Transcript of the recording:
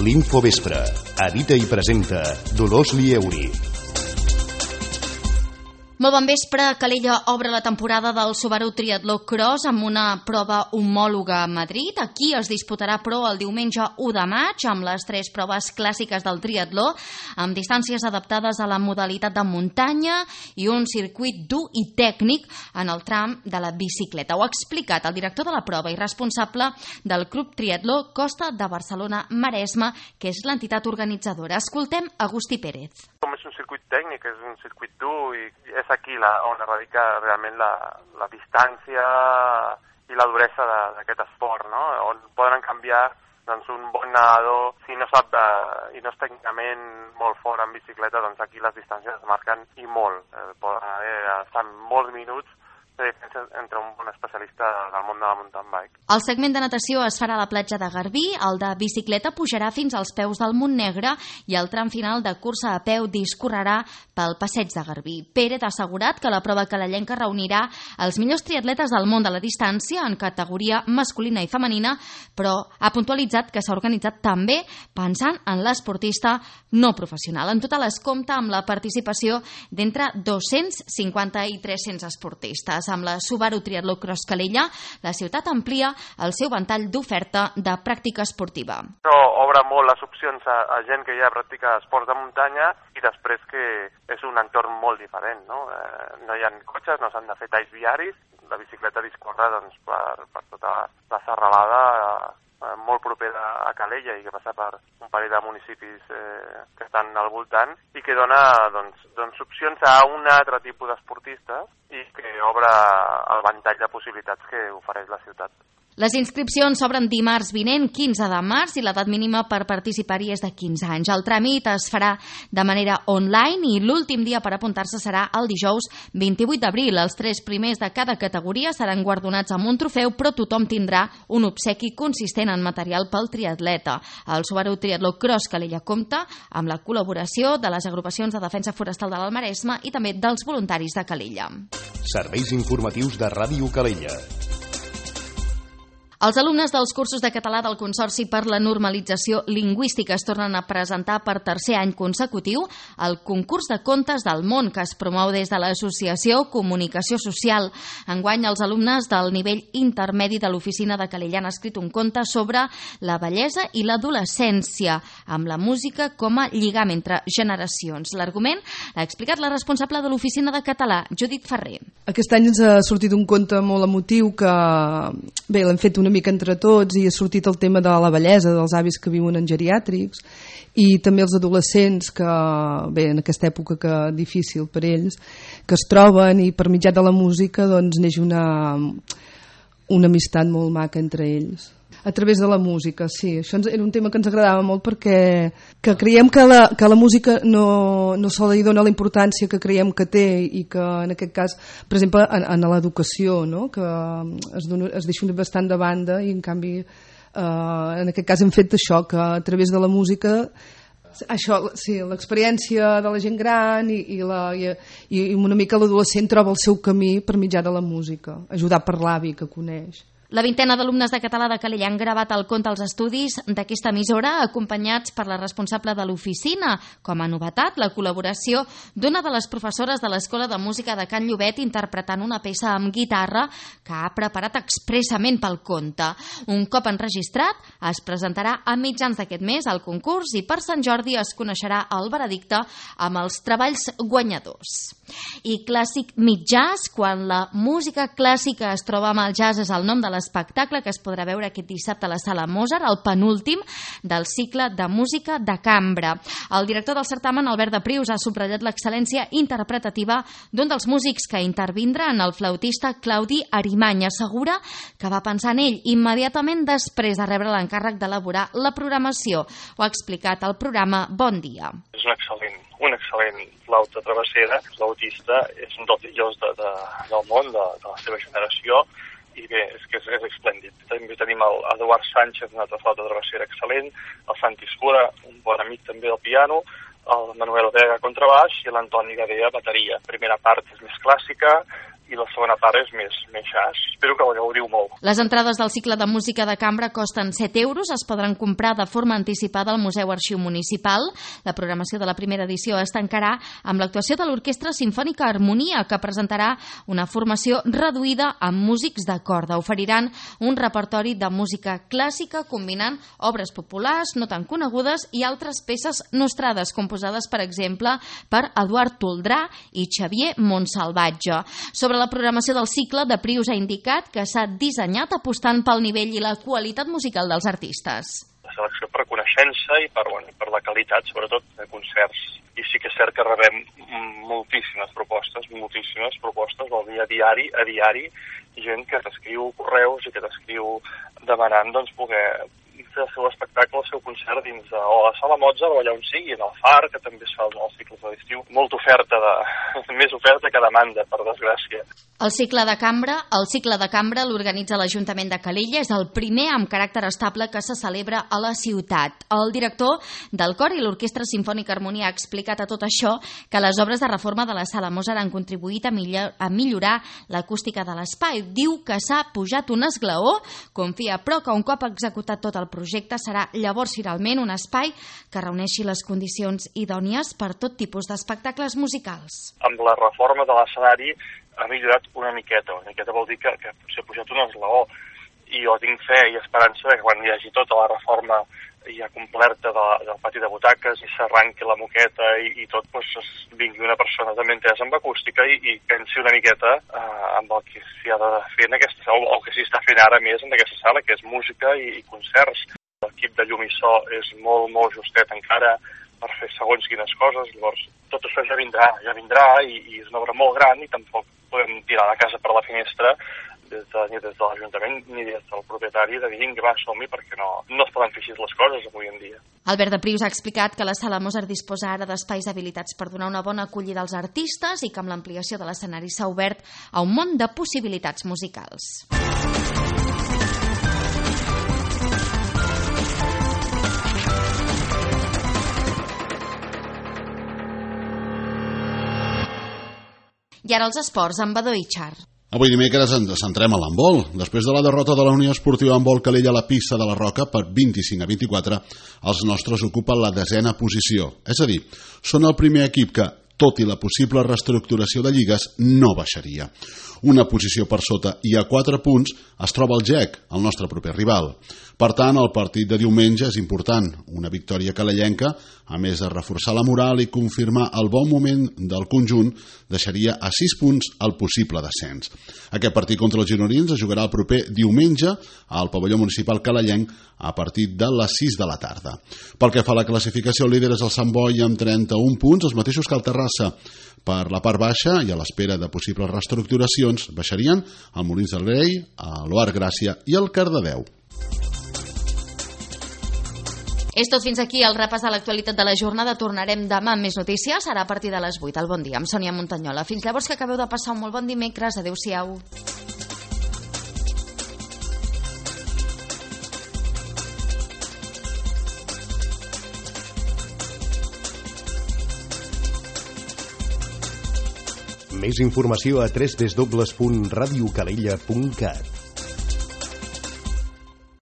L'Infovespre. Edita i presenta Dolors Lieuri. Molt bon vespre. Calella obre la temporada del Subaru Triatló Cross amb una prova homòloga a Madrid. Aquí es disputarà, però, el diumenge 1 de maig amb les 3 proves clàssiques del triatló, amb distàncies adaptades a la modalitat de muntanya i un circuit dur i tècnic en el tram de la bicicleta. Ho ha explicat el director de la prova i responsable del Club Triatló Costa de Barcelona-Maresme, que és l'entitat organitzadora. Escoltem Agustí Pérez. Com és un circuit tècnic, és un circuit dur i és aquí on radica realment la distància i la duresa d'aquest esport, no? On poden canviar doncs, un bon nedador, si no sap i no és tècnicament molt fort en bicicleta, doncs aquí les distàncies es marquen i molt. Poden estar molts minuts de diferència entre un bon especialista del món de la mountain bike. El segment de natació es farà a la platja de Garbí, el de bicicleta pujarà fins als peus del Montnegre i el tram final de cursa a peu discorrerà pel passeig de Garbí. Pérez ha assegurat que la prova calellenca reunirà els millors triatletes del món de la distància en categoria masculina i femenina, però ha puntualitzat que s'ha organitzat també pensant en l'esportista no professional. En total es compta amb la participació d'entre 250 i 300 esportistes. Amb la Subaru Triatló Cross Calella, la ciutat amplia el seu ventall d'oferta de pràctica esportiva. Això obre molt les opcions a gent que ja practica esports de muntanya i després que és un entorn molt diferent, no? No hi ha cotxes, no s'han de fer talls viaris, la bicicleta discorre doncs, per tota la serralada molt propera a Calella i que passa per un parell de municipis que estan al voltant i que dona doncs, opcions a un altre tipus d'esportistes i que obre el ventall de possibilitats que ofereix la ciutat. Les inscripcions s'obren dimarts vinent, 15 de març, i l'edat mínima per participar-hi és de 15 anys. El tràmit es farà de manera online i l'últim dia per apuntar-se serà el dijous 28 d'abril. Els 3 primers de cada categoria seran guardonats amb un trofeu, però tothom tindrà un obsequi consistent en material pel triatleta. El Subaru Triatló Cross Calella compta amb la col·laboració de les agrupacions de defensa forestal de l'Almaresme i també dels voluntaris de Calella. Serveis informatius de Ràdio Calella. Els alumnes dels cursos de català del Consorci per la Normalització Lingüística es tornen a presentar per tercer any consecutiu al concurs de contes del món que es promou des de l'Associació Comunicació Social. Enguany, els alumnes del nivell intermedi de l'oficina de Calella han escrit un conte sobre la bellesa i l'adolescència, amb la música com a lligam entre generacions. L'argument l'ha explicat la responsable de l'oficina de català, Judit Ferrer. Aquest any ens ha sortit un conte molt emotiu que, bé, l'hem fet una mica entre tots i ha sortit el tema de la bellesa dels avis que viuen en geriàtrics i també els adolescents que, bé, en aquesta època que difícil per ells, que es troben i per mitjà de la música doncs neix una amistat molt maca entre ells. A través de la música, sí. Això era un tema que ens agradava molt perquè creiem que la música no se li dona la importància que creiem que té i que en aquest cas, per exemple, en l'educació, no? Que es deixa bastant de banda i en canvi en aquest cas hem fet això, que a través de la música això, sí, l'experiència de la gent gran i una mica l'adolescent troba el seu camí per mitjà de la música, ajudar per l'avi que coneix. La vintena d'alumnes de català de Calella han gravat el conte als estudis d'aquesta emissora, acompanyats per la responsable de l'oficina. Com a novetat, la col·laboració d'una de les professores de l'Escola de Música de Can Llobet interpretant una peça amb guitarra que ha preparat expressament pel conte. Un cop enregistrat, es presentarà a mitjans d'aquest mes al concurs i per Sant Jordi es coneixerà el veredicte amb els treballs guanyadors. I clàssic mig jazz, quan la música clàssica es troba amb el jazz, és el nom de l'espectacle que es podrà veure aquest dissabte a la Sala Mozart, el penúltim del cicle de música de cambra. El director del certamen, Albert de Prius, ha subratllat l'excel·lència interpretativa d'un dels músics que intervindrà, en el flautista Claudi Arimany. Assegura que va pensar en ell immediatament després de rebre l'encàrrec d'elaborar la programació. Ho ha explicat al programa Bon Dia. És un excel·lent flauta travessera. El flautista és un dels millors del món, de la seva generació, i bé, és que és esplèndid. També tenim l'Eduard Sánchez, un altre flauta travessera excel·lent, el Santi Escura, un bon amic també del piano, el Manuel Vega contrabaix i l'Antoni Gadea bateria. La primera part és més clàssica, i la segona part és més jazz. Espero que la gaudiu molt. Les entrades del cicle de música de cambra costen 7 euros, es podran comprar de forma anticipada al Museu Arxiu Municipal. La programació de la primera edició es tancarà amb l'actuació de l'Orquestra Simfònica Harmonia, que presentarà una formació reduïda amb músics de corda. Oferiran un repertori de música clàssica combinant obres populars no tan conegudes i altres peces nostrades, composades, per exemple, per Eduard Toldrà i Xavier Montsalvatge. Sobre la programació del cicle, de Prius ha indicat que s'ha dissenyat apostant pel nivell i la qualitat musical dels artistes. La selecció per coneixença i per la qualitat, sobretot, de concerts. I sí que és cert que rebem moltíssimes propostes del dia a diari, gent que t'escriu correus i que t'escriu demanant poder fer el seu espectacle, el seu concert dins o a la Sala Mozart o allà on sigui, en el Far, que també es fa els cicles de l'estiu. Molta oferta, més oferta que demanda, per desgràcia. El cicle de cambra l'organitza l'Ajuntament de Calella, és el primer amb caràcter estable que se celebra a la ciutat. El director del cor i l'Orquestra Simfònica Harmonia ha explicat a tot això que les obres de reforma de la Sala Mozart han contribuït a millorar l'acústica de l'espai. Diu que s'ha pujat un esglaó, confia però que un cop executat tot el projecte serà llavors finalment un espai que reuneixi les condicions idònies per tot tipus d'espectacles musicals. Amb la reforma de l'escenari ha millorat una miqueta vol dir que potser ha pujat un esglaó, i jo tinc fe i esperança que quan hi hagi tota la reforma ja completa del pati de butaques i s'arranqui la moqueta i tot, vingui una persona també entesa amb acústica i pensi una miqueta amb el que s'hi ha de fer en aquesta sala, o que s'hi està fent ara més en aquesta sala, que és música i concerts. L'equip de llum i so és molt justet encara per fer segons quines coses, llavors tot això ja vindrà i és una obra molt gran i tampoc podem tirar la casa per la finestra ni des de l'Ajuntament ni des del propietari de dir vinga, va, som-hi, perquè no es poden fer així les coses avui en dia. Albert de Prius ha explicat que la Sala Mozart disposa ara d'espais habilitats per donar una bona acollida als artistes i que amb l'ampliació de l'escenari s'ha obert a un món de possibilitats musicals. I ara els esports amb Badó i Char. Avui dimecres ens centrem a l'handbol. Després de la derrota de la Unió Esportiva Handbol Calella a la pista de la Roca per 25-24, els nostres ocupen la 10ª posició. És a dir, són el primer equip que, tot i la possible reestructuració de lligues, no baixaria. Una posició per sota i a 4 punts es troba el GEC, el nostre proper rival. Per tant, el partit de diumenge és important. Una victòria calellenca, a més de reforçar la moral i confirmar el bon moment del conjunt, deixaria a 6 punts el possible descens. Aquest partit contra els gironins es jugarà el proper diumenge al pavelló municipal calellenc a partir de les 6 de la tarda. Pel que fa a la classificació, el líder és el Sant Boi amb 31 punts, els mateixos que el Terrassa. Per la part baixa i a l'espera de possibles reestructuracions baixarien el Molins del Rei, l'Oar Gràcia i el Cardedeu. És tot fins aquí el repàs de l'actualitat de la jornada. Tornarem demà amb més notícies. Serà a partir de les 8. El bon dia amb Sònia Montanyola. Fins llavors, que acabeu de passar un molt bon dimecres. Adéu-siau. Més informació a www.radiocalella.cat.